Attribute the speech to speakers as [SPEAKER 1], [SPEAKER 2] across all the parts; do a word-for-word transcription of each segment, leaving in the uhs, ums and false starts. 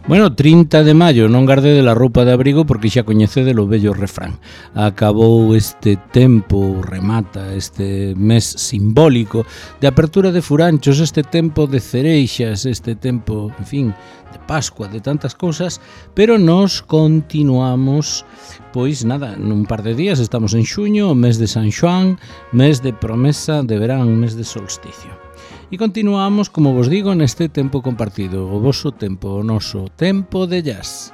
[SPEAKER 1] Bueno, trinta de maio, non gardede a roupa de abrigo porque xa coñecede o vello refrán. Acabou este tempo, remata este mes simbólico de apertura de furanchos, este tempo de cereixas, este tempo, en fin, de Pascua, de tantas cousas, pero nos continuamos, pois nada, nun par de días estamos en xuño, mes de San Xoán, mes de promesa de verán, mes de solsticio. E continuamos, como vos digo, neste tempo compartido, o voso tempo, o noso tempo de jazz.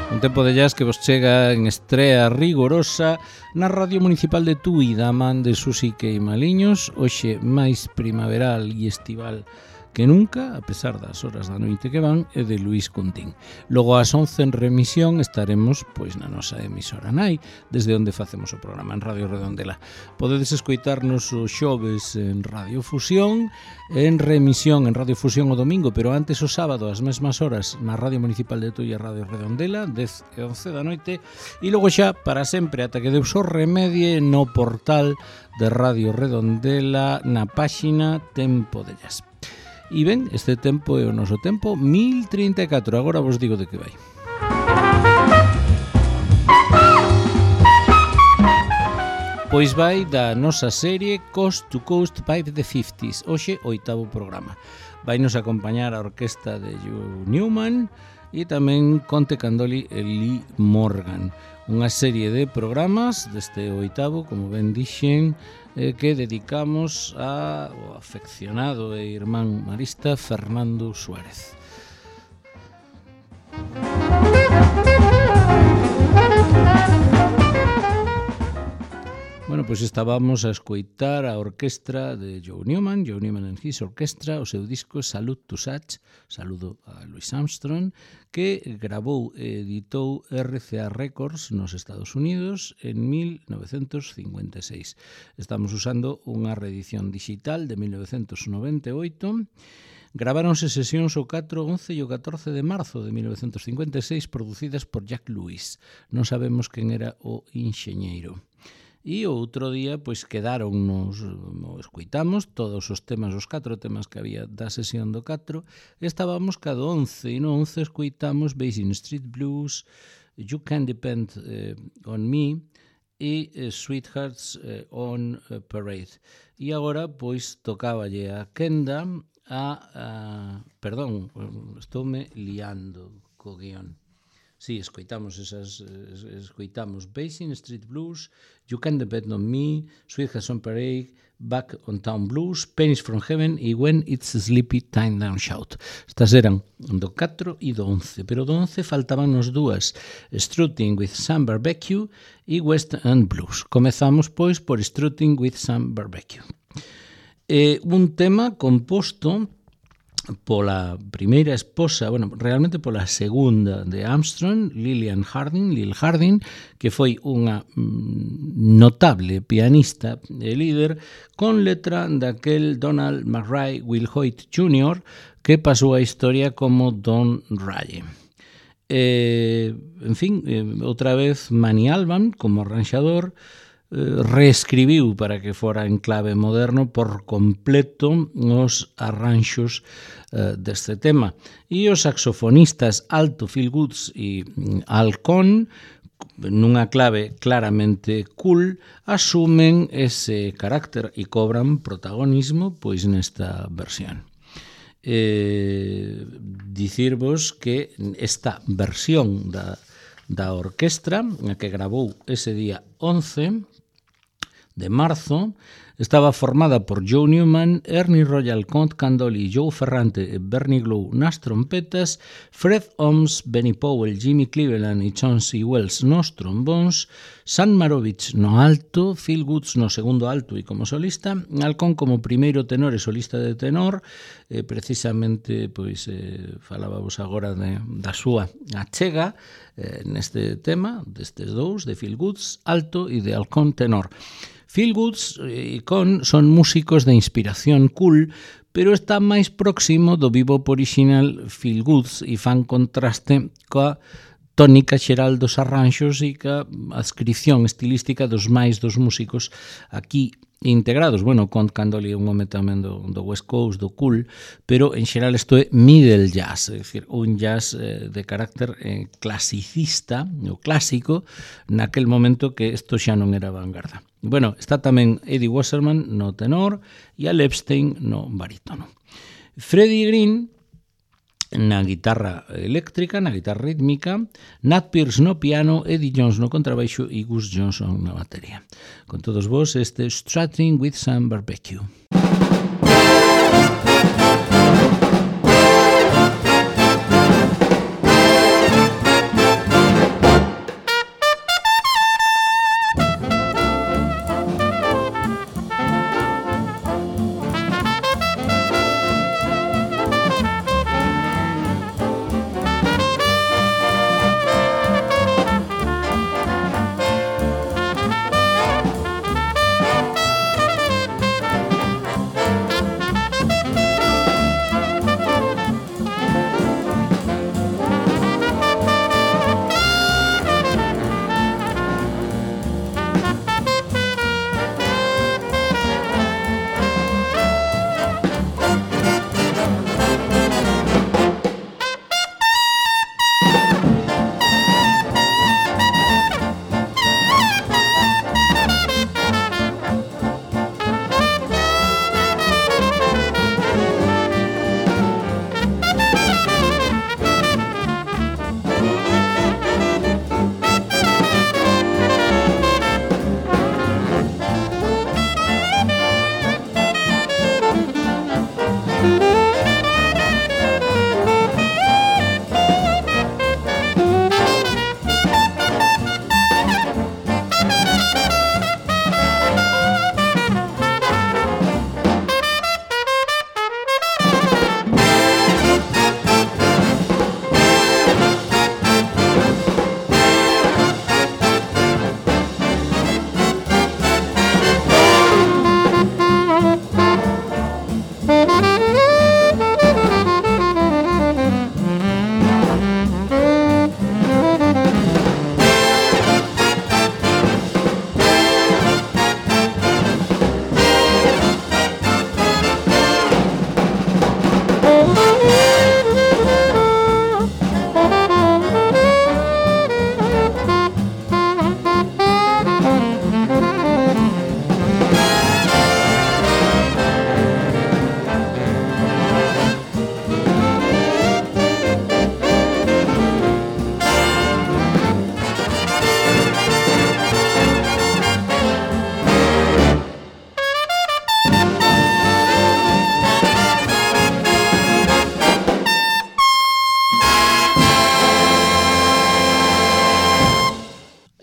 [SPEAKER 1] Un tempo de jazz que vos chega en estrea rigorosa na Radio Municipal de Tui, da man de Susi Queimaliños, hoxe máis primaveral e estival que nunca, a pesar das horas da noite que van, é de Luís Cuntín. Logo ás once en remisión estaremos pois na nosa emisora nai, desde onde facemos o programa en Radio Redondela. Podedes escoitarnos os xoves en Radio Fusión, en remisión en Radio Fusión o domingo, pero antes o sábado ás mesmas horas na Radio Municipal de Tui e Radio Redondela, dez e once da noite, e logo xa para sempre ata que Deus o remedie no portal de Radio Redondela na páxina Tempo de Jazz. E ben, este tempo é o noso tempo mil trinta e catro, agora vos digo de que vai. Pois vai da nosa serie Coast to Coast by the fifties, hoxe oitavo programa. Vai nos acompañar a orquesta de Joe Newman e tamén Conte Candoli e Lee Morgan. Unha serie de programas deste oitavo, como ben dixen, eh, que dedicamos ao afeccionado e irmán marista Fernando Suárez. Bueno, pois estábamos a escoitar a orquestra de Joe Newman, Joe Newman and his Orchestra, o seu disco Salute to Such, saludo a Louis Armstrong, que grabou e editou R C A Records nos Estados Unidos en mil novecentos cincuenta e seis. Estamos usando unha reedición digital de mil novecentos noventa e oito. Graváronse sesións o catro, once e o catorce de marzo de mil novecentos cincuenta e seis producidas por Jack Lewis. Non sabemos quen era o enxeñeiro. E o outro día, pois, quedáronnos, escoitamos todos os temas, os catro temas que había da sesión do catro, estábamos cada once, e no once escoitamos Basin Street Blues, You Can Depend eh, on Me e eh, Sweethearts eh, on eh, Parade. E agora, pois, tocáballe a Kenda a, a... Perdón, estoume liando co guión. Sí, escoitamos esas, escoitamos Basin Street Blues, You Can Depend on Me, Sweethearts on Parade, Back on Town Blues, Pennies from Heaven e When It's Sleepy Time Down Shout. Estas eran do catro e do once, pero do once faltabannos dúas, Strutting with Sam Barbecue e West End Blues. Comezamos, pois, por Strutting with Sam Barbecue. Eh, un tema composto pola primeira esposa, bueno, realmente pola segunda de Armstrong, Lillian Harding, Lil Harding, que foi unha mm, notable pianista e líder con letra daquel Donald McRae Will Hoyt júnior que pasou a historia como Don Raye. Eh, en fin, eh, outra vez Manny Alban como arranxador, reescribiu para que fora en clave moderno por completo os arranxos uh, deste tema. E os saxofonistas alto Phil Woods e Al Cohn, nunha clave claramente cool, asumen ese carácter e cobran protagonismo pois nesta versión. Eh, dicirvos que esta versión da, da orquestra, a que grabou ese día once de marzo, estaba formada por Joe Newman, Ernie Royal, Conte Candoli, Joe Ferrante e Bernie Glow nas trompetas, Fred Ohms, Benny Powell, Jimmy Cleveland e Chauncey Wells nos trombóns, Sam Marovich no alto, Phil Woods no segundo alto e como solista, Alcón como primeiro tenor e solista de tenor, eh, precisamente, pois, eh, falábamos agora de, da súa achega eh, neste tema, destes dous, de Phil Woods alto e de Alcón tenor. Phil Woods e Con son músicos de inspiración cool, pero está máis próximo do bebop original Phil Woods e fan contraste coa tónica xeral dos arranxos e ca adscripción estilística dos máis dos músicos aquí integrados. Bueno, Count Candoli é un home tamén do, do West Coast, do cool, pero en xeral isto é middle jazz, é dicir, un jazz eh, de carácter eh, clasicista, o clásico, naquel momento que isto xa non era vanguarda. Bueno, está tamén Eddie Wasserman no tenor e Al Epstein no barítono. Freddie Green na guitarra eléctrica, na guitarra rítmica, Nat Pierce no piano, Eddie Jones no contrabaixo e Gus Johnson na batería. Con todos vos, este Strutting with Sam Barbecue.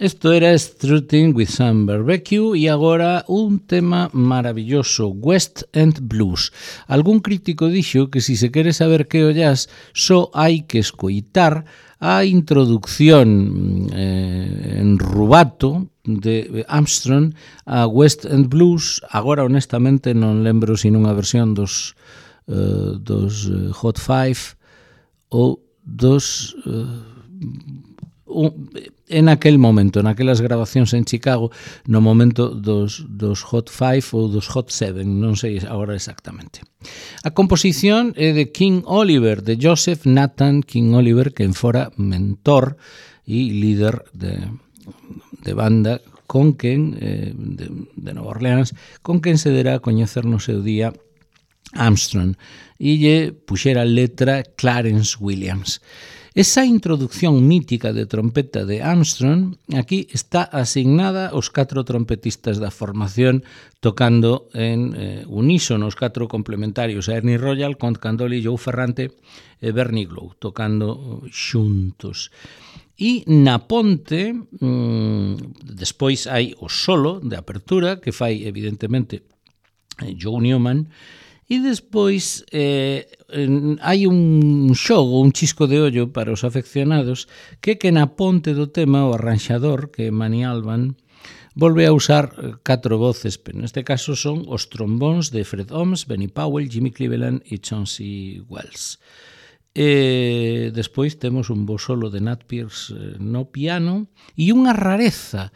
[SPEAKER 1] Isto era Strutting with Sam Barbecue e agora un tema maravilloso, West End Blues. Algún crítico dixo que si se quere saber que o jazz só hai que escoitar a introducción eh, en rubato de Armstrong a West End Blues. Agora honestamente non lembro sin unha versión dos, uh, dos uh, Hot Five ou dos... Uh, Un, en aquel momento, naquelas grabacións en Chicago, no momento dos, dos Hot Five ou dos Hot Seven, non sei agora exactamente. A composición é de King Oliver, de Joseph Nathan King Oliver, que en fora mentor e líder de, de banda con quen, eh, de, de Nova Orleans, con quen se derá a coñecer no seu día Armstrong, e lle puxera letra Clarence Williams. Esa introducción mítica de trompeta de Armstrong aquí está asignada aos catro trompetistas da formación tocando en eh, unísono, os catro complementarios, a Ernie Royal, Count Candoli, Joe Ferrante e Bernie Glow, tocando xuntos. E na ponte, mmm, despois hai o solo de apertura, que fai evidentemente Joe Newman, e despois eh, hai un xogo, un chisco de ollo para os afeccionados, que que na ponte do tema o arranxador, que é Manny Alban, volve a usar catro voces, pero neste caso son os trombóns de Fred Ohms, Benny Powell, Jimmy Cleveland e Chauncey Wells. E despois temos un bo solo de Nat Pierce no piano e unha rareza.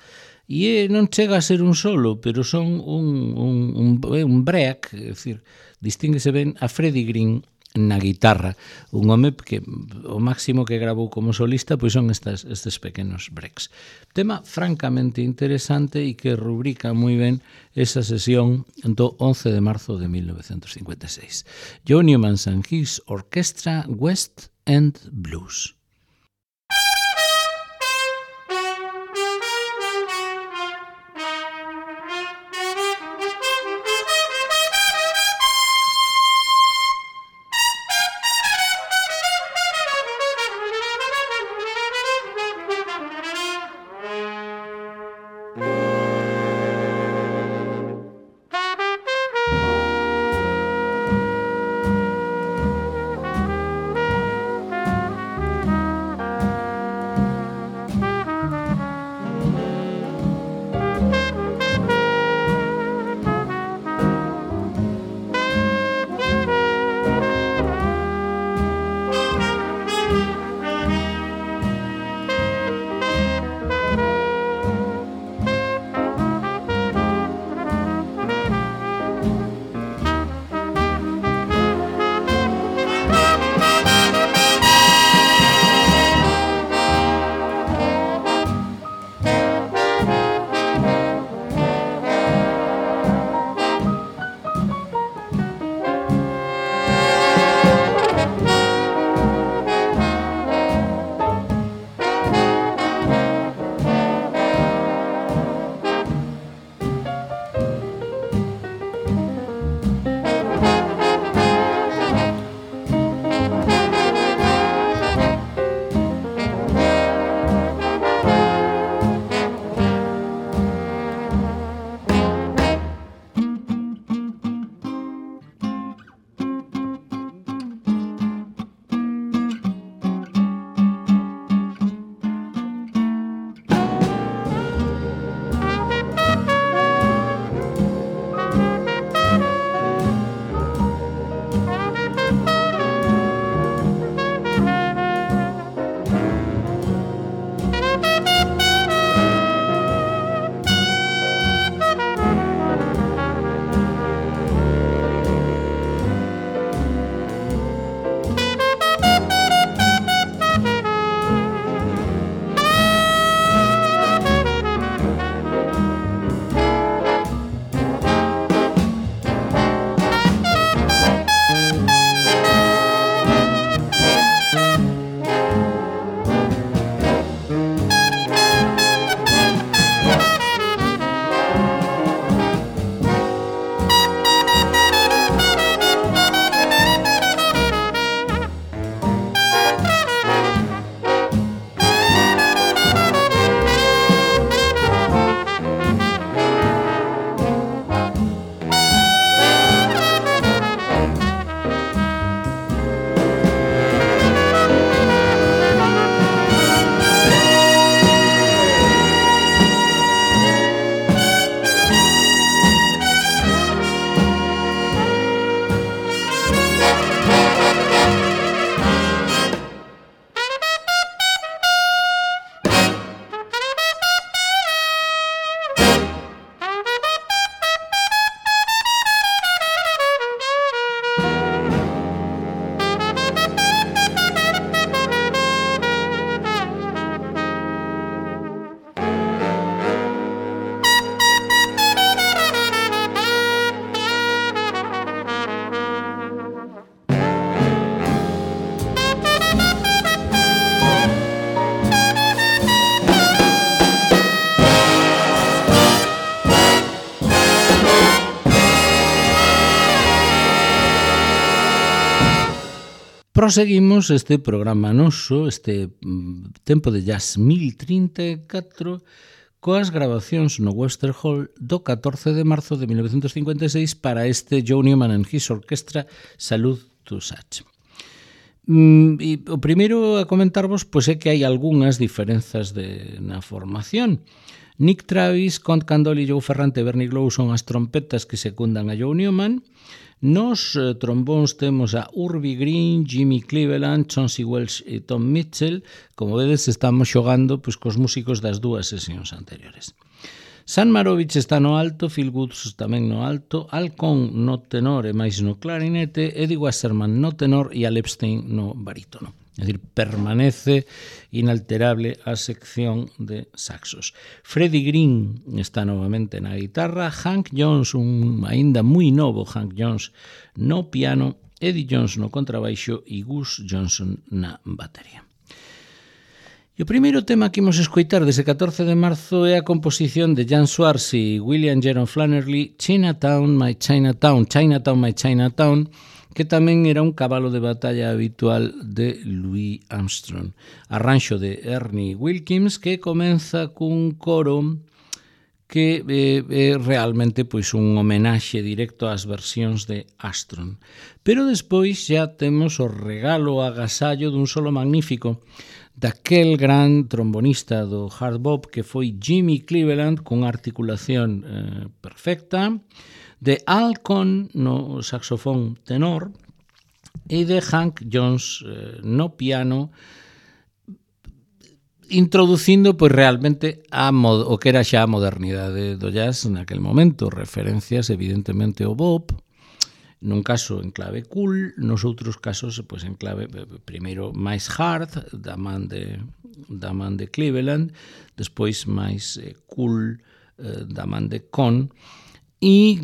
[SPEAKER 1] E non chega a ser un solo, pero son un, un, un, un break, é dicir, distínguese ben a Freddie Green na guitarra, un home que o máximo que grabou como solista pois son estas, estes pequenos breaks. Tema francamente interesante e que rubrica moi ben esa sesión do once de marzo de mil novecentos cincuenta e seis. Joe Newman and His Orchestra, West End Blues. Proseguimos este programa noso, este mm, tempo de jazz mil trinta e catro, coas grabacións no Webster Hall do catorce de marzo de mil novecentos cincuenta e seis para este Joe Newman and His Orchestra, Salute to Such. Mm, e o primeiro a comentarvos pois é que hai algunhas diferenzas de, na formación. Nick Travis, Count Candoli, Joe Ferrante e Bernie Glow son as trompetas que secundan a Joe Newman. Nos eh, trombóns temos a Urbie Green, Jimmy Cleveland, Chauncey Welch e Tom Mitchell. Como vedes, estamos xogando pois, cos músicos das dúas sesións anteriores. San Marovich está no alto, Phil Woods tamén no alto, Alcón no tenor e máis no clarinete, Eddie Wasserman no tenor e Al Epstein no barítono. É dicir, permanece inalterable a sección de saxos. Freddie Green está novamente na guitarra, Hank Jones, un aínda moi novo Hank Jones no piano, Eddie Jones no contrabaixo e Gus Johnson na batería. E o primeiro tema que imos escoitar dese catorce de marzo é a composición de Jan Swartz e William Jaron Flannery, Chinatown, My Chinatown, Chinatown, My Chinatown, que tamén era un cabalo de batalla habitual de Louis Armstrong. Arranxo de Ernie Wilkins, que comeza cun coro que é, é realmente pois un homenaxe directo ás versións de Armstrong. Pero despois xa temos o regalo agasallo dun solo magnífico daquel gran trombonista do hard bop que foi Jimmy Cleveland, con articulación eh, perfecta, de Al Cohn no saxofón tenor e de Hank Jones eh, no piano, introducindo pois realmente a mod- o que era xa a modernidade do jazz naquel momento, referencias evidentemente ao bop, nun caso en clave cool, nos outros casos pois en clave primeiro máis hard da man de da man de Cleveland, despois máis eh, cool eh, da man de Cohn, e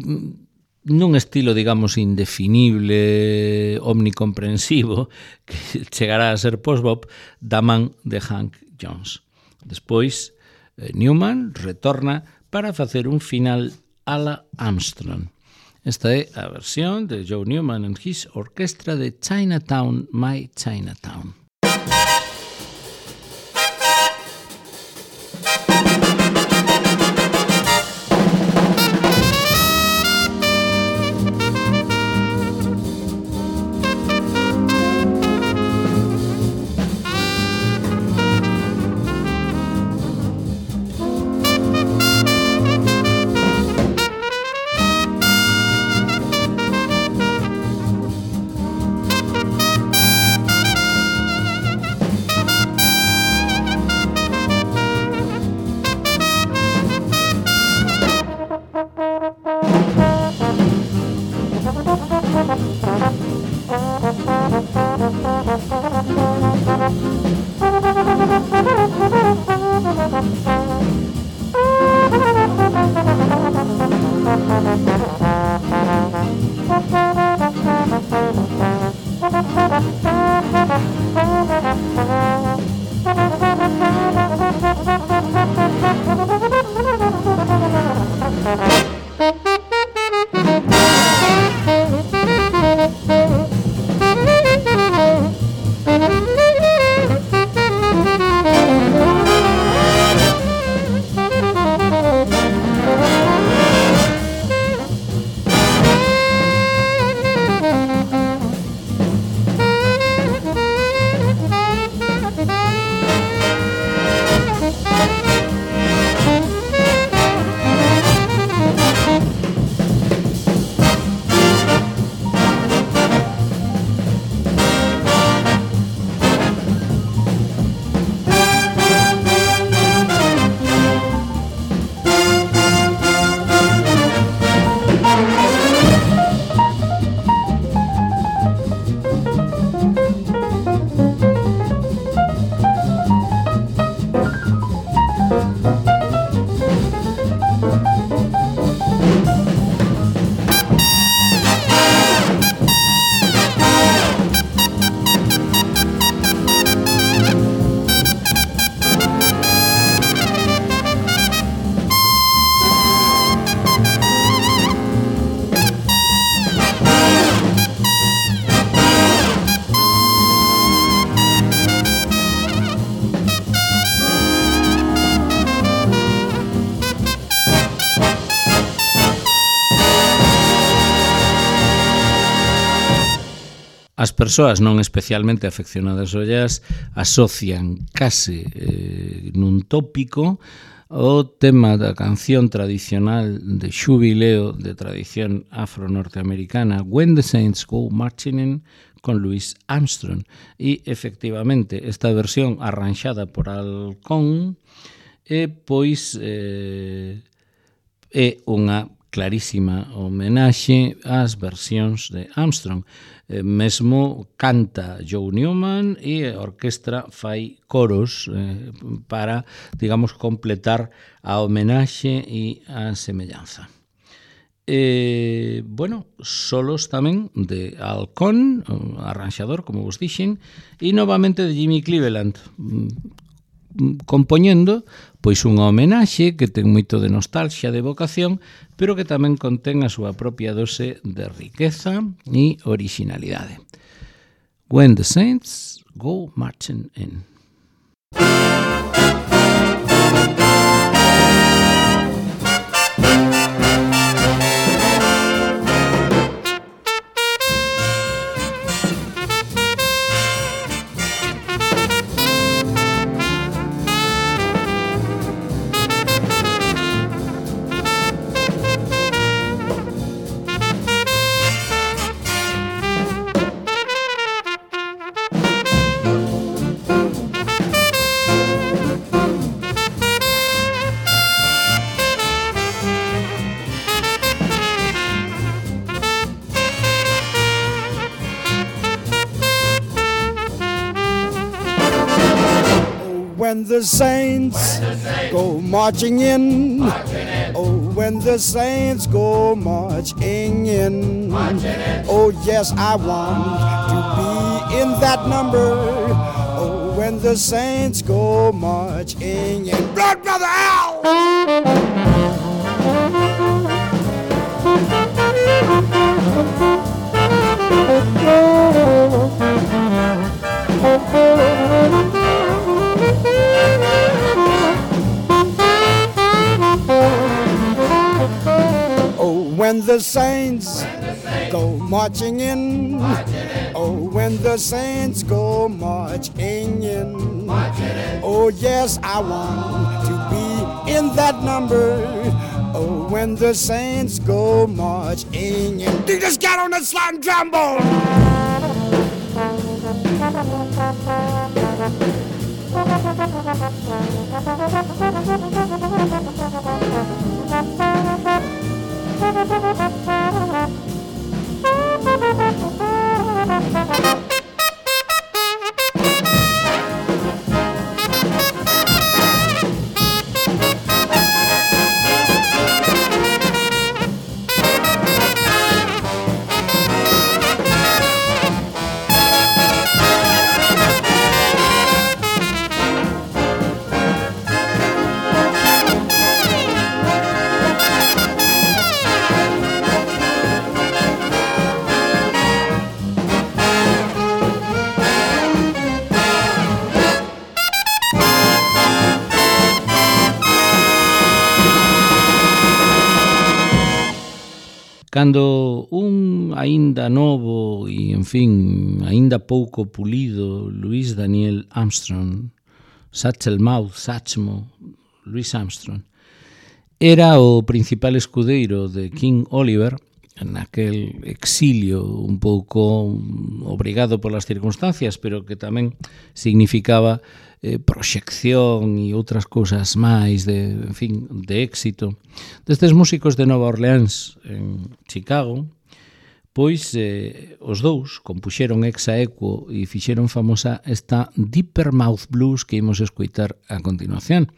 [SPEAKER 1] nun estilo, digamos, indefinible, omnicomprensivo, que chegará a ser post-bop, da man de Hank Jones. Despois, eh, Newman retorna para facer un final a la Armstrong. Esta é a versión de Joe Newman and his orquestra de Chinatown, My Chinatown. As persoas non especialmente afeccionadas ao jazz asocian case eh, nun tópico o tema da canción tradicional de xubileo de tradición afro-norteamericana When the Saints Go Marching In, con Louis Armstrong. E, efectivamente, esta versión arranxada por Al Cohn é, pois, eh, é unha clarísima homenaxe ás versións de Armstrong. Eh, mesmo canta Joe Newman e a orquestra fai coros eh, para, digamos, completar a homenaxe e a semellanza. Eh, bueno, solos tamén de Al Cohn, arranxador, como vos dixen, e novamente de Jimmy Cleveland, compoñendo pois unha homenaxe que ten moito de nostalgia, de evocación, pero que tamén contén a súa propia dose de riqueza e originalidade. When the Saints Go Marching In.
[SPEAKER 2] When the saints go marching in, oh, when the saints go marching in, oh, yes, I want to be in that number, oh, when the saints go marching in. Blood Brother Al! When the saints go marching in, oh, when the saints go marching in, oh, yes, I want to be in that number, oh, when the saints go marching in. You just got on the slide trombone.
[SPEAKER 1] Cando un aínda novo e, en fin, aínda pouco pulido Louis Daniel Armstrong, Satchel Mouth, Satchmo, Louis Armstrong, era o principal escudeiro de King Oliver, naquel exilio un pouco obrigado polas circunstancias, pero que tamén significaba eh, proxección e outras cousas máis de, en fin, de éxito. Destes músicos de Nova Orleans en Chicago, pois eh, os dous compuxeron ex aequo e fixeron famosa esta Deeper Mouth Blues que imos escoitar a continuación.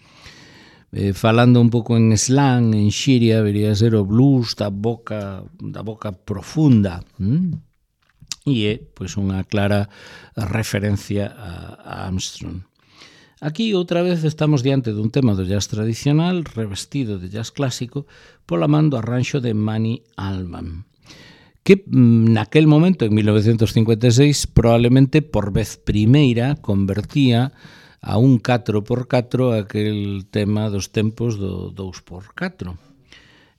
[SPEAKER 1] Eh, falando un pouco en slang, en xiria, vería ser o blues da boca da boca profunda, hm? E é pois unha clara referencia a, a Armstrong. Aquí outra vez estamos diante dun tema do jazz tradicional revestido de jazz clásico pola man do arranxo de Manny Allman, que naquel momento, en mil novecentos cincuenta e seis, probablemente por vez primeira convertía a un catro por catro aquel tema dos tempos do dous por catro.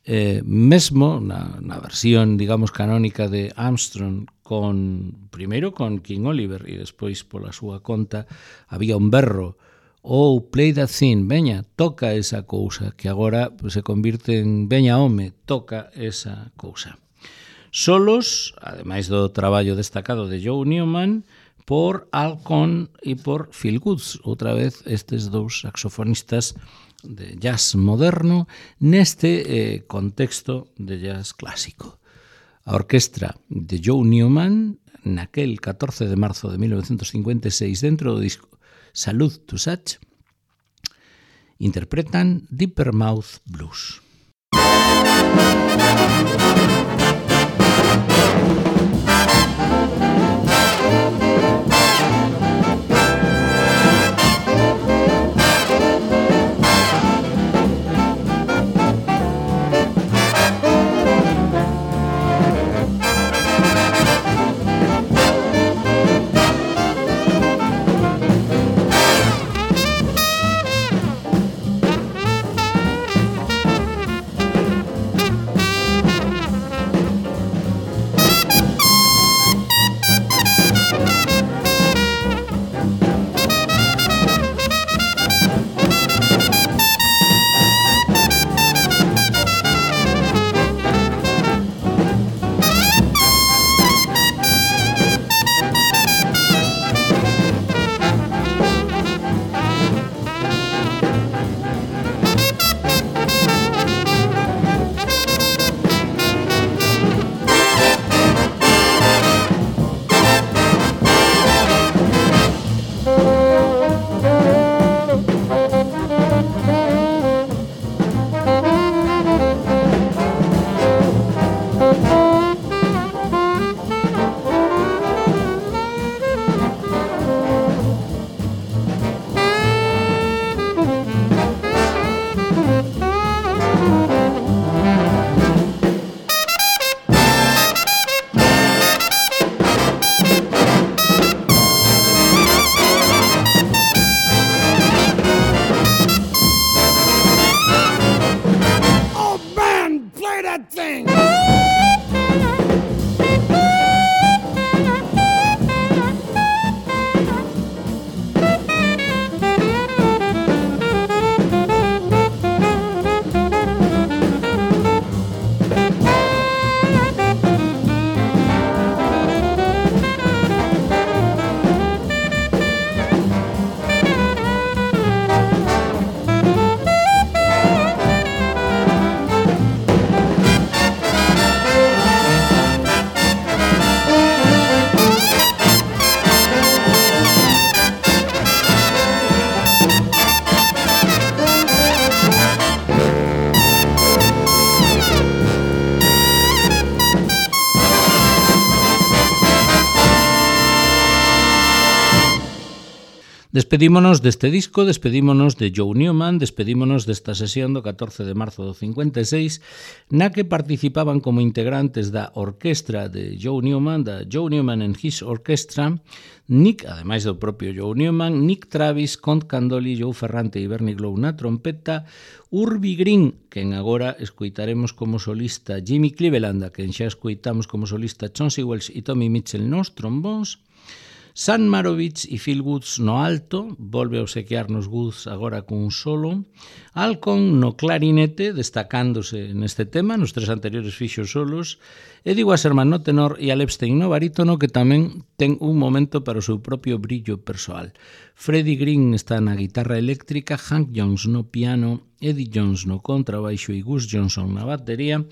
[SPEAKER 1] Eh, mesmo na, na versión, digamos, canónica de Armstrong, con primeiro con King Oliver e despois pola súa conta había un berro: oh, play that thing, veña, toca esa cousa, que agora pues, se convirte en veña home, toca esa cousa. Solos, ademais do traballo destacado de Joe Newman, por Al Cohn e por Phil Woods, outra vez estes dous saxofonistas de jazz moderno neste eh, contexto de jazz clásico. A orquestra de Joe Newman, naquel catorce de marzo de mil novecientos cincuenta e seis, dentro do disco Salute to Such, interpretan Deeper Mouth Blues. Despedímonos deste disco, despedímonos de Joe Newman, despedímonos desta sesión do catorce de marzo do cincuenta e seis, na que participaban como integrantes da orquestra de Joe Newman, da Joe Newman and His Orchestra, Nick, ademais do propio Joe Newman, Nick Travis, Count Candoli, Joe Ferrante e Bernie Glow na trompeta, Urbie Green, quen agora escoitaremos como solista Jimmy Cleveland, a quen xa escoitamos como solista Chauncey Wells e Tommy Mitchell nos trombóns, Sam Marovich e Phil Woods no alto, volve a obsequiarnos Woods agora cun solo, Alcon no clarinete, destacándose neste tema, nos tres anteriores fixos solos, Eddie Wasserman no tenor e Al Epstein no barítono, que tamén ten un momento para o seu propio brillo persoal. Freddie Green está na guitarra eléctrica, Hank Jones no piano, Eddie Jones no contrabaixo e Gus Johnson na batería,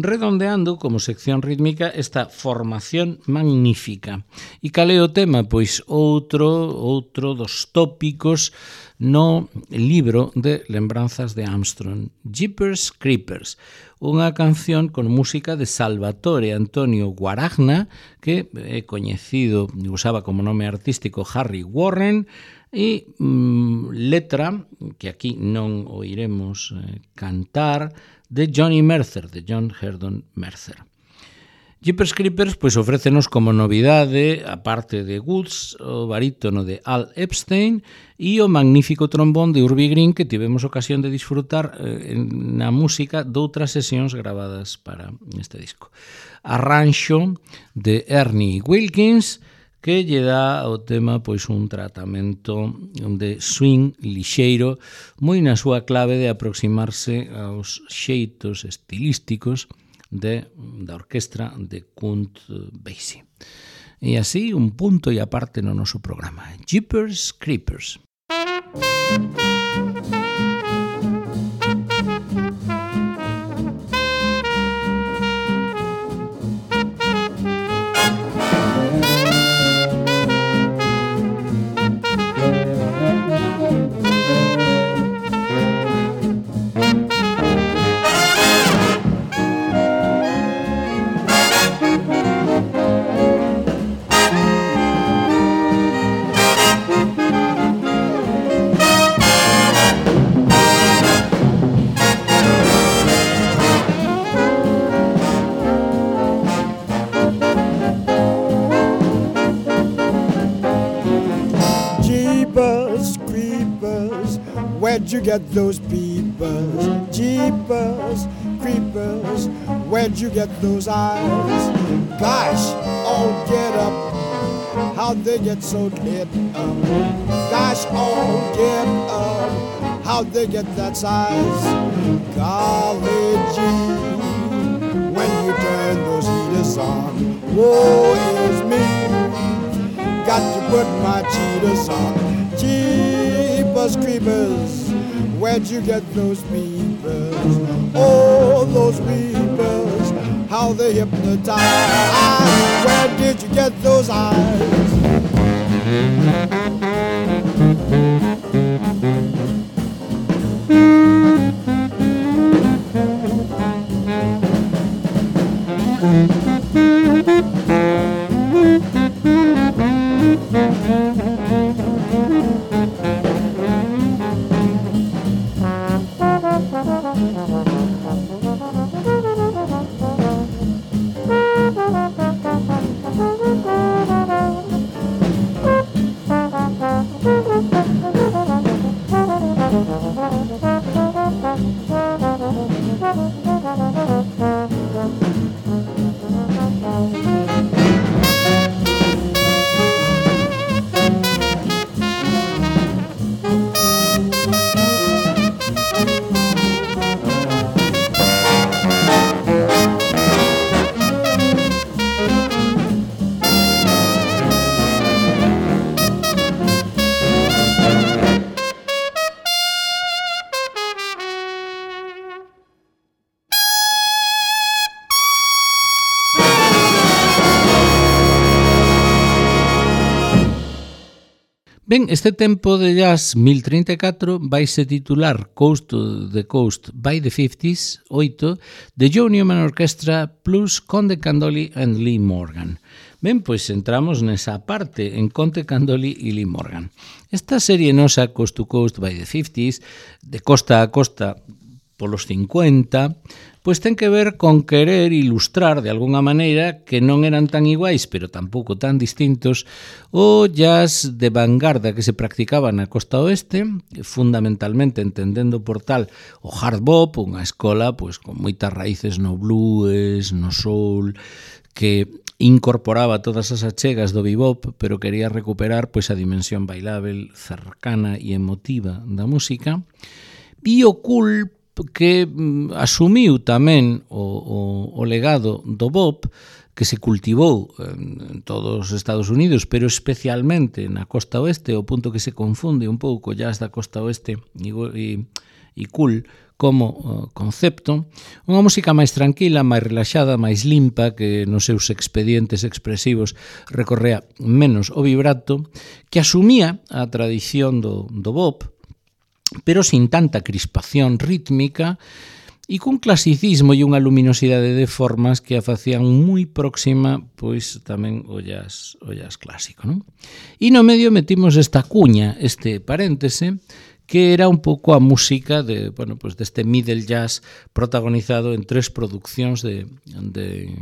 [SPEAKER 1] redondeando como sección rítmica esta formación magnífica. E cal é o tema? Pois outro, outro dos tópicos no libro de lembranzas de Armstrong, Jeepers Creepers, unha canción con música de Salvatore Antonio Guaragna, que é coñecido, usaba como nome artístico Harry Warren, e mm, letra, que aquí non oiremos eh, cantar, de Johnny Mercer, de John Herdon Mercer. Jeepers Creepers pois ofrécenos como novidade, a parte de Woods, o barítono de Al Epstein e o magnífico trombón de Urbie Green, que tivemos ocasión de disfrutar eh, na música doutras sesións gravadas para este disco. Arranxo de Ernie Wilkins, que lle dá ao tema pois un tratamento de swing lixeiro, moi na súa clave de aproximarse aos xeitos estilísticos de, da orquestra de Count Basie. E así, un punto e aparte no noso programa. Jeepers Creepers.
[SPEAKER 2] where'd you get those peepers? Jeepers, creepers, where'd you get those eyes? Gosh, oh get up, how'd they get so lit up? Gosh, oh get up, how'd they get that size? Golly gee, when you turn those heaters on, woe is me, got to put my cheaters on. Jeepers creepers, where'd you get those peepers? Oh, those weepers, how they hypnotize. Where did you get those eyes?
[SPEAKER 1] Ben, este tempo de jazz mil treinta e catro vaise titular Coast to the Coast by the fifties, oito, de Joe Newman Orchestra plus Conte Candoli and Lee Morgan. Ben, pois entramos nesa parte en Conte Candoli e Lee Morgan. Esta serie nosa Coast to Coast by the fifties, de costa a costa polos cincuenta, pois ten que ver con querer ilustrar de alguna maneira que non eran tan iguais, pero tampouco tan distintos, o jazz de vanguarda que se practicaba na costa oeste, fundamentalmente entendendo por tal o hard bop, unha escola pois con moitas raíces no blues, no soul, que incorporaba todas as achegas do bebop, pero quería recuperar pois a dimensión bailável, cercana e emotiva da música, e o cool que asumiu tamén o, o, o legado do bop, que se cultivou en todos os Estados Unidos, pero especialmente na costa oeste, o punto que se confunde un pouco jazz da costa oeste e, e, e cool como uh, concepto, unha música máis tranquila, máis relaxada, máis limpa, que nos seus expedientes expresivos recorrea menos o vibrato, que asumía a tradición do, do bop, pero sin tanta crispación rítmica e cun clasicismo e unha luminosidade de formas que a facían moi próxima pois tamén o jazz, o jazz clásico, non? E no medio metimos esta cuña, este paréntese, que era un pouco a música de, bueno, pues deste middle jazz protagonizado en tres produccións de, de,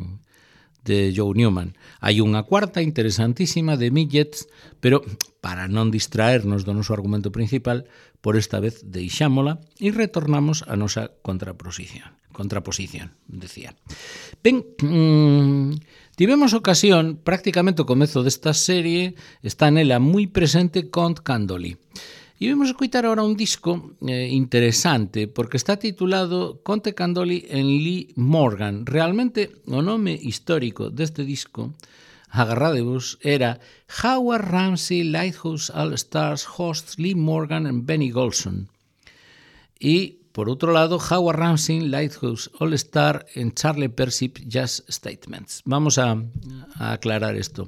[SPEAKER 1] de Joe Newman. Hai unha cuarta interesantísima de Midgets, pero para non distraernos do noso argumento principal, por esta vez deixámola e retornamos a nosa contraposición. Contraposición, decía. Ben, mmm, tivemos ocasión, prácticamente o comezo desta serie, está nela moi presente Conte Candoli. E vamos a escutar agora un disco eh, interesante, porque está titulado Conte Candoli and Lee Morgan. Realmente, o nome histórico deste disco, agarradevos, era Howard Ramsey Lighthouse All-Stars hosts Lee Morgan and Benny Golson. E, por outro lado, Howard Ramsey Lighthouse All-Star en Charlie Persip Jazz Statements. Vamos a, a aclarar isto.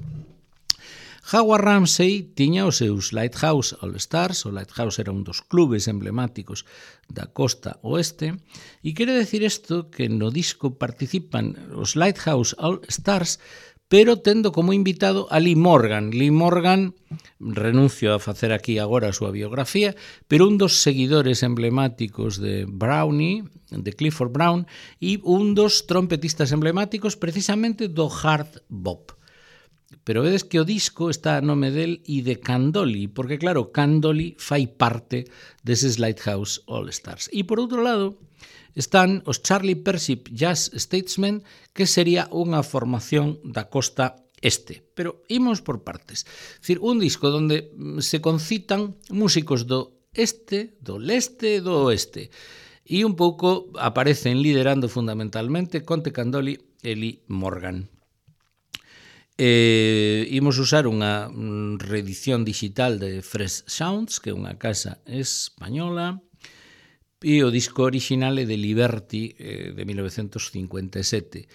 [SPEAKER 1] Howard Ramsey tiña os seus Lighthouse All-Stars, o Lighthouse era un dos clubes emblemáticos da costa oeste, e quere decir isto que no disco participan os Lighthouse All-Stars, pero tendo como invitado a Lee Morgan. Lee Morgan, renuncio a facer aquí agora a súa biografía, pero un dos seguidores emblemáticos de Brownie, de Clifford Brown, e un dos trompetistas emblemáticos precisamente do hard bop. pero vedes que o disco está a nome del e de Candoli, porque claro, Candoli fai parte deses Lighthouse All Stars. E por outro lado, están os Charlie Persip Jazz Statesmen, que sería unha formación da costa este. Pero imos por partes. É dicir, un disco onde se concitan músicos do este, do leste e do oeste. E un pouco aparecen liderando fundamentalmente Conte Candoli e Lee Morgan. Eh, imos usar unha reedición digital de Fresh Sounds, que é unha casa española, e o disco original é de Liberty, eh, de mil novecentos cincuenta e sete.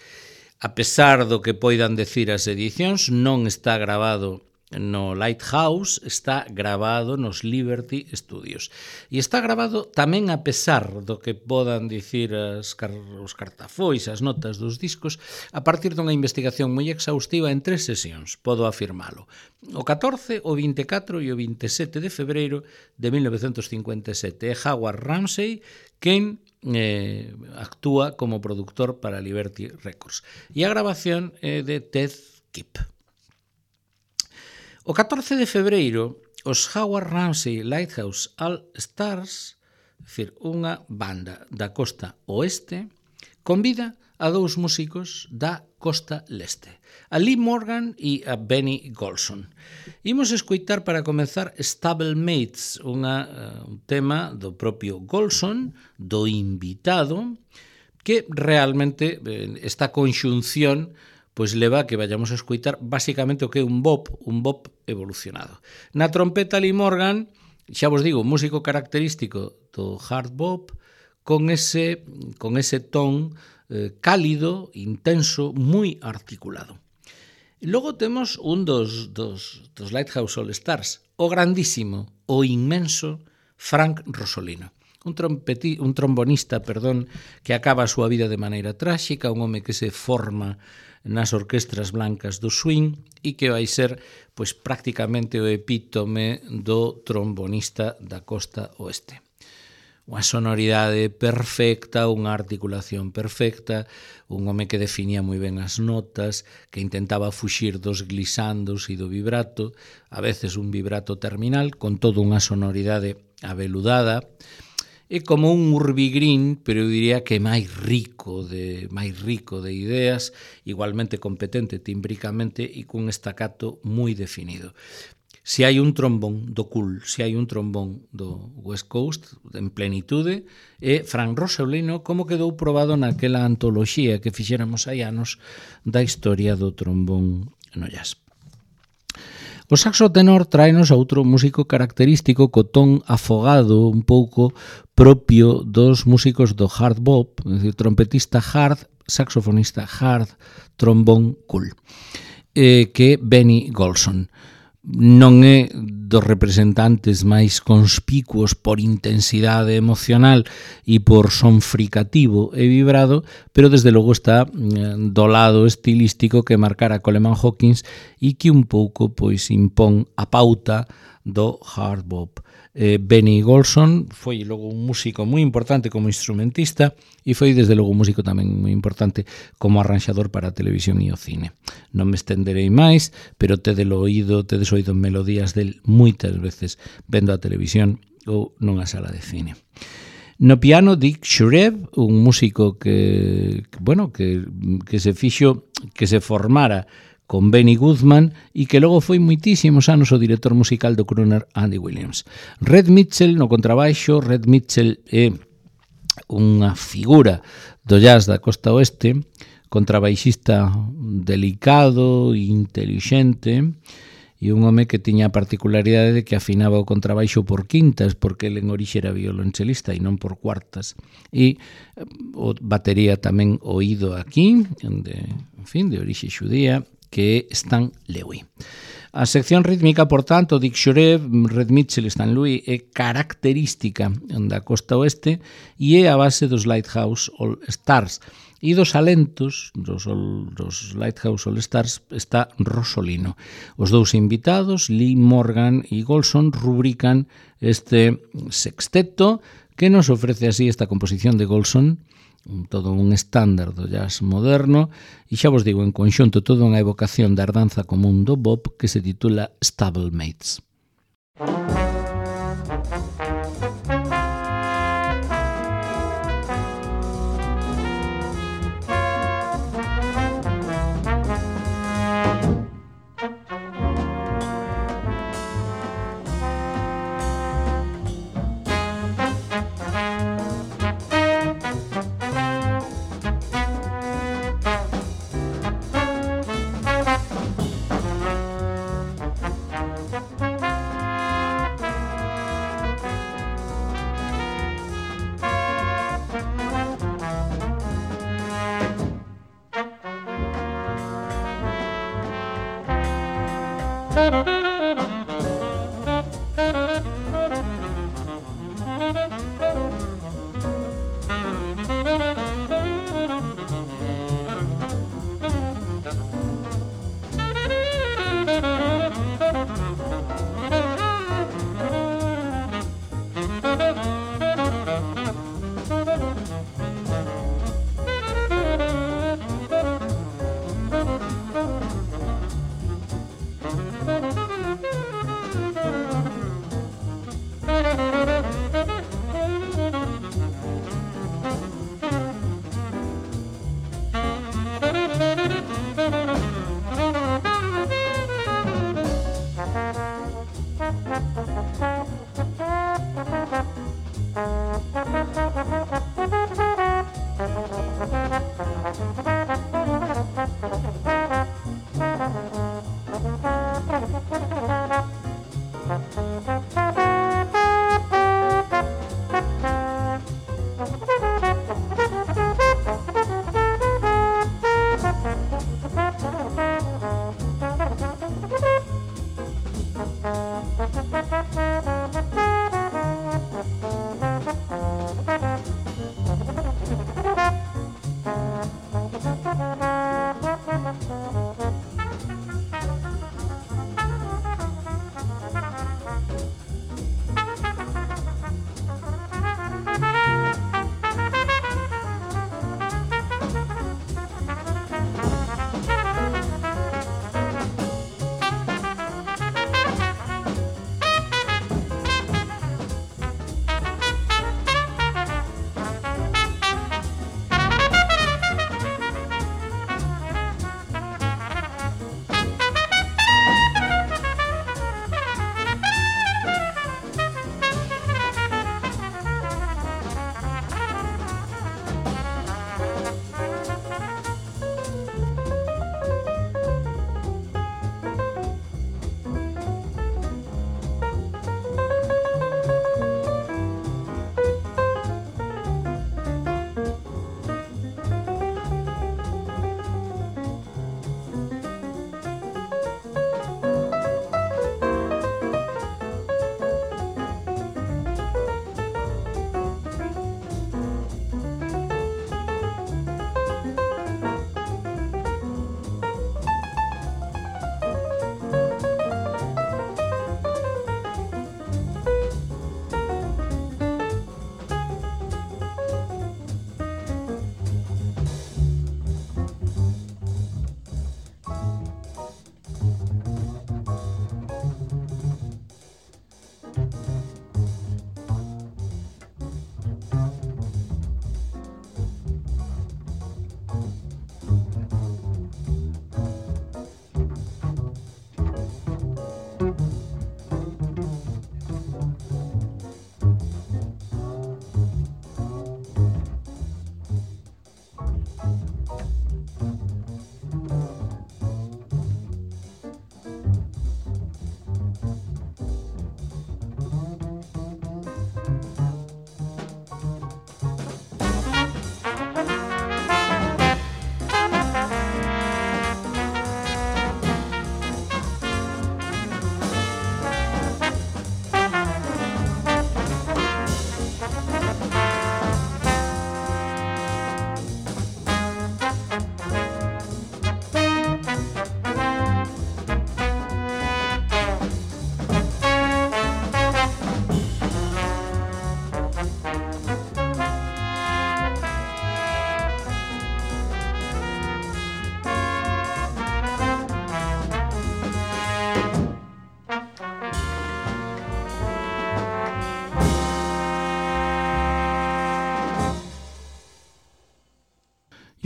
[SPEAKER 1] A pesar do que poidan decir as edicións, non está grabado no Lighthouse, está grabado nos Liberty Studios. E está grabado tamén a pesar do que podan dicir as car os cartafois, as notas dos discos, a partir dunha investigación moi exhaustiva en tres sesións, podo afirmalo. O catorce, o vinte e catro e o vinte e sete de febreiro de mil novecentos cincuenta e sete. É Howard Ramsey quen eh, actúa como productor para Liberty Records. E a grabación é de Ted Kipp. O catorce de febreiro, os Howard Ramsey Lighthouse All Stars, é dicir, unha banda da costa oeste, convida a dous músicos da costa leste, a Lee Morgan e a Benny Golson. Imos escoitar para comenzar Stablemates, unha, uh, un tema do propio Golson, do invitado, que realmente eh, esta conxunción pois leva a que vayamos a escoitar basicamente o que é un bop, un bop evolucionado. Na trompeta Lee Morgan, xa vos digo, músico característico do hard bop, con ese, con ese ton eh, cálido, intenso, moi articulado. E logo temos un dos, dos, dos Lighthouse All Stars, o grandísimo, o inmenso Frank Rosolino. Un, trompeti, un trombonista, perdón, que acaba a súa vida de maneira tráxica, un home que se forma nas orquestras blancas do swing e que vai ser pois prácticamente o epítome do trombonista da costa oeste. Unha sonoridade perfecta, unha articulación perfecta, un home que definía moi ben as notas, que intentaba fuxir dos glisandos e do vibrato, a veces un vibrato terminal, con toda unha sonoridade aveludada. É como un urbigrín, pero eu diría que máis rico de máis rico de ideas, igualmente competente timbricamente e cun estacato moi definido. Se hai un trombón do cool, se hai un trombón do West Coast en plenitude, é Frank Rosolino, como quedou probado naquela antoloxía que fixéramos hai anos da historia do trombón no jazz. O saxo tenor tráenos a outro músico característico co ton afogado un pouco propio dos músicos do hard bop, é dicir, trompetista hard, saxofonista hard, trombón cool, eh, que é Benny Golson. Non é dos representantes máis conspicuos por intensidade emocional e por son fricativo e vibrado, pero desde logo está do lado estilístico que marcara Coleman Hawkins e que un pouco pois impón a pauta do hard bop. Eh, Benny Golson foi logo un músico moi importante como instrumentista e foi desde logo un músico tamén moi importante como arranxador para a televisión e o cine. Non me estenderei máis, pero tedes oído, tedes oído melodías del moitas veces vendo a televisión ou nunha sala de cine. No piano, Dick Shurev, un músico que, que bueno, que, que se fixo, que se formara con Benny Goodman e que logo foi moitísimos anos o director musical do crooner Andy Williams. Red Mitchell no contrabaixo. Red Mitchell é unha figura do jazz da costa oeste, contrabaixista delicado e intelixente, e un home que tiña a particularidade de que afinaba o contrabaixo por quintas, porque ele en orixe era violonchelista e non por cuartas, e o batería tamén oído aquí, de, en fin, de orixe xudía, que é Stan Lewy. A sección rítmica, por tanto, Dick Shurev, Red Mitchell e Stan Lewy é característica da costa oeste e é a base dos Lighthouse All Stars. E dos alentos dos, dos Lighthouse All Stars está Rosolino. Os dous invitados, Lee Morgan e Golson, rubrican este sexteto que nos ofrece así esta composición de Golson, todo un estándar do jazz moderno, e xa vos digo, en conxunto toda unha evocación da herdanza común do bop que se titula Stablemates. Thank you.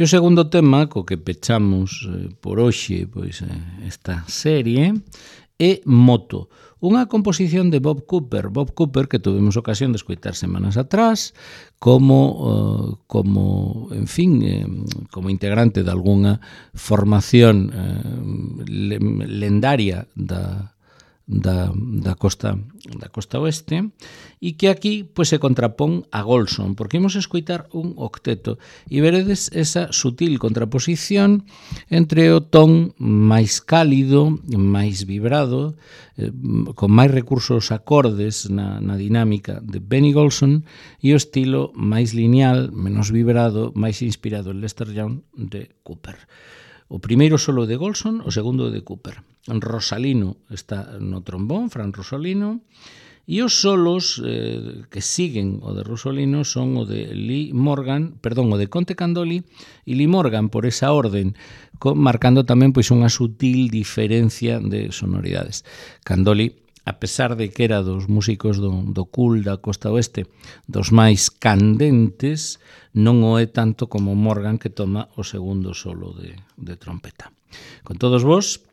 [SPEAKER 1] E o segundo tema co que pechamos eh, por hoxe pois, eh, esta serie é Moto, unha composición de Bob Cooper. Bob Cooper, que tuvemos ocasión de escoitar semanas atrás, como, uh, como en fin, eh, como integrante de algunha formación eh, lendaria da, da, da, costa, da costa oeste, e que aquí pois, se contrapón a Golson, porque imos escoitar un octeto, e veredes esa sutil contraposición entre o ton máis cálido, máis vibrado, eh, con máis recursos acordes na, na dinámica de Benny Golson, e o estilo máis lineal, menos vibrado, máis inspirado en Lester Young de Cooper. O primeiro solo de Golson, o segundo de Cooper. Rosalino está no trombón, Fran Rosalino, e os solos eh, que siguen o de Rosalino son o de Lee Morgan, perdón, o de Conte Candoli e Lee Morgan, por esa orden, marcando tamén pois unha sutil diferencia de sonoridades. Candoli, a pesar de que era dos músicos do, do cool da costa oeste, dos máis candentes, non o é tanto como Morgan, que toma o segundo solo de, de trompeta. Con todos vos,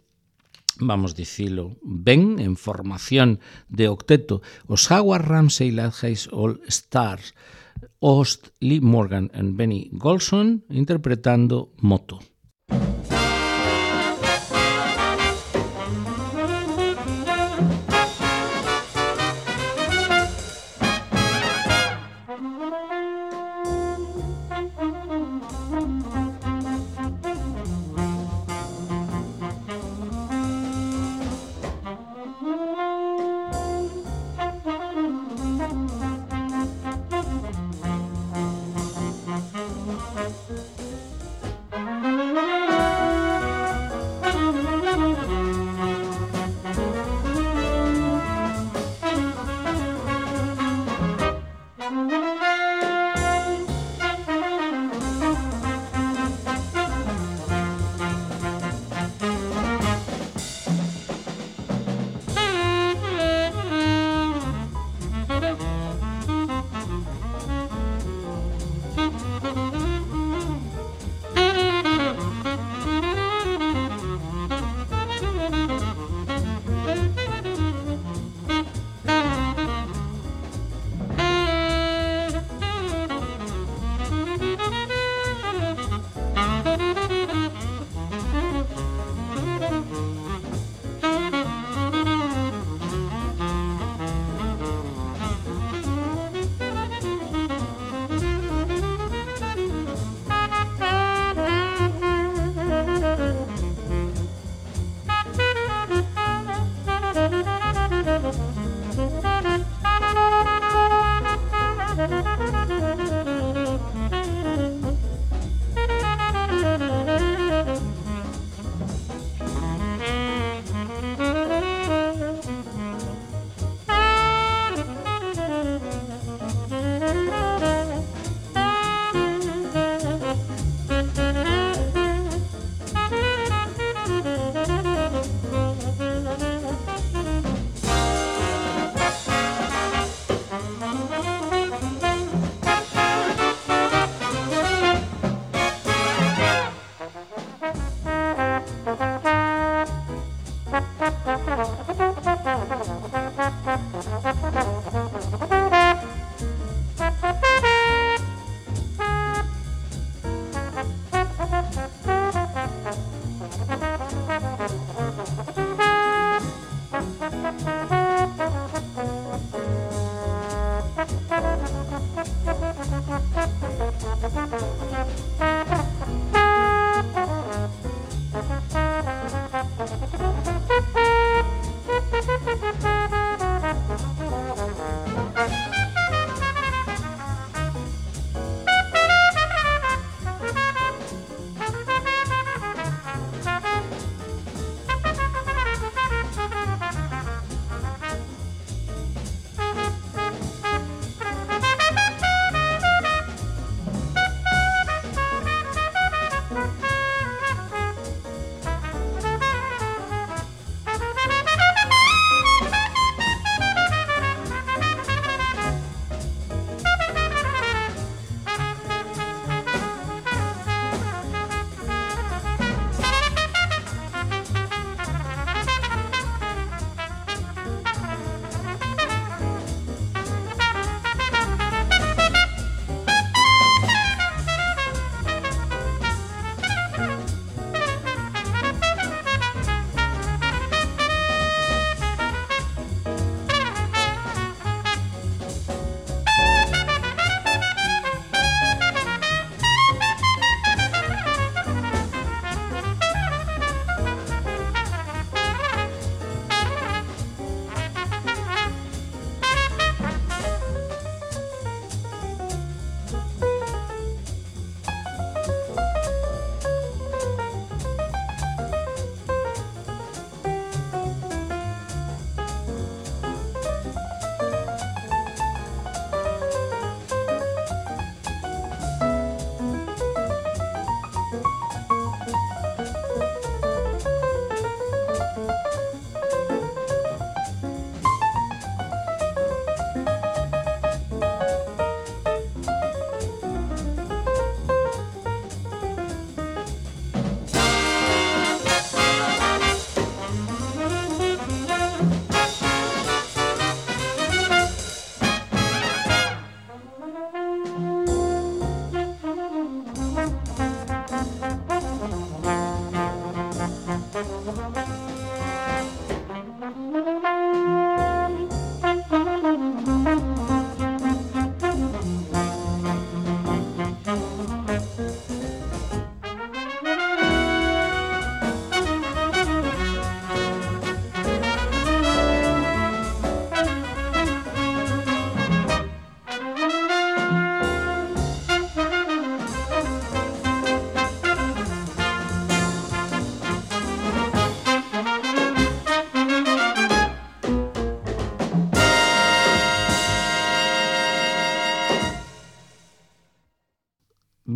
[SPEAKER 1] vamos dicilo ben, en formación de octeto, os Howard Ramsey Ladgate All Stars, Ost, Lee Morgan e Benny Golson, interpretando Moto.
[SPEAKER 3] Thank you.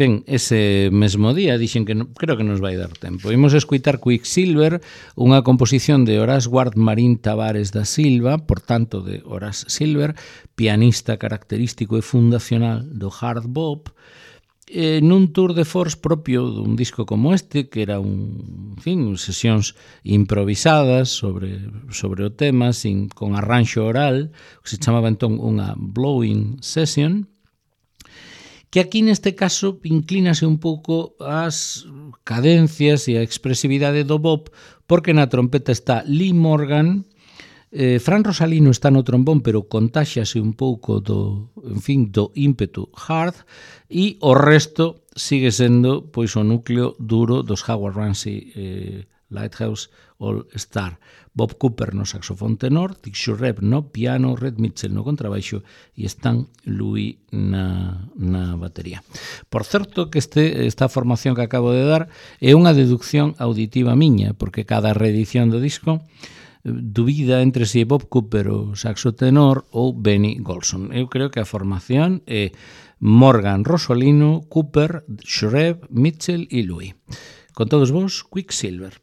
[SPEAKER 1] ben, ese mesmo día dixen que no, creo que nos vai dar tempo. Imos escuitar Quicksilver, unha composición de Horace Ward Marín Tavares da Silva, por tanto de Horace Silver, pianista característico e fundacional do hard bop, eh, nun tour de force propio dun disco como este, que era un, en fin, sesións improvisadas sobre, sobre o tema, sin, con arranxo oral, que se chamaba entón unha blowing session, que aquí neste caso inclínase un pouco ás cadencias e a expresividade do bop, porque na trompeta está Lee Morgan, eh, Fran Rosalino está no trombón, pero contáxase un pouco do, en fin, do ímpetu hard, e o resto sigue sendo pois o núcleo duro dos Howard Ramsey eh, Lighthouse All Star. Bob Cooper no saxofón tenor, Dick Shurrep no piano, Red Mitchell no contrabaixo e Stan Louis na, na batería. Por certo que este, esta formación que acabo de dar é unha deducción auditiva miña, porque cada reedición do disco dubida entre si Bob Cooper o saxo tenor ou Benny Golson. Eu creo que a formación é Morgan, Rosolino, Cooper, Shurrep, Mitchell e Louis. Con todos vos, Quicksilver.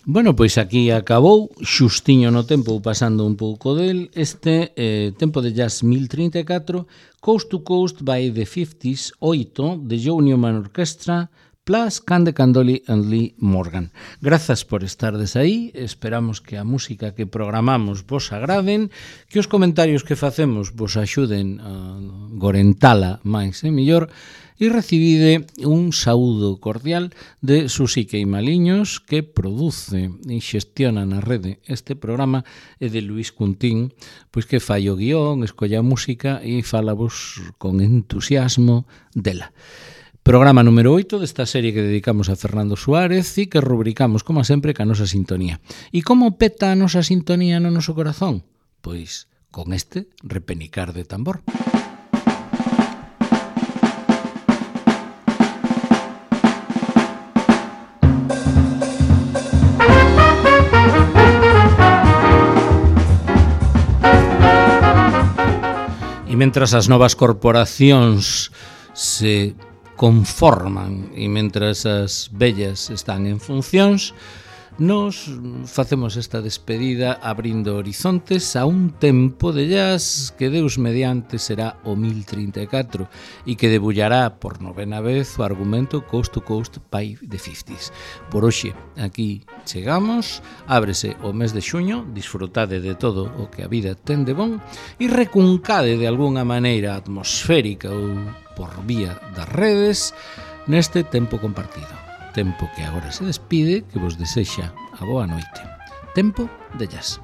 [SPEAKER 1] Bueno, pois aquí acabou, xustiño no tempo, pasando un pouco del, este eh, Tempo de Jazz mil trinta e catro, Coast to Coast by the fifties, oito, de Joe Newman Orchestra, plus Cande Candoli and Lee Morgan. Grazas por estardes aí, esperamos que a música que programamos vos agraden, que os comentarios que facemos vos axuden a gorentala máis e mellor, e recibide un saúdo cordial de Susi Queimaliños, que produce e xestiona na rede este programa, e de Luis Cuntín, pois que fai o guión, escolla a música e falavos con entusiasmo dela. Programa número oito desta serie que dedicamos a Fernando Suárez e que rubricamos, como sempre, ca nosa sintonía. E como peta a nosa sintonía no noso corazón? Pois con este repenicar de tambor. E mentras as novas corporacións se conforman e mentras as vellas están en funcións, nos facemos esta despedida abrindo horizontes a un tempo de jazz que Deus mediante será o mil trinta e catro e que debullará por novena vez o argumento Coast to Coast by the fifties. Por hoxe, aquí chegamos, ábrese o mes de xuño, disfrutade de todo o que a vida ten de bon e recuncade de algunha maneira atmosférica ou por vía das redes neste tempo compartido. Tempo que agora se despide, que vos desexa a boa noite. Tempo de jazz.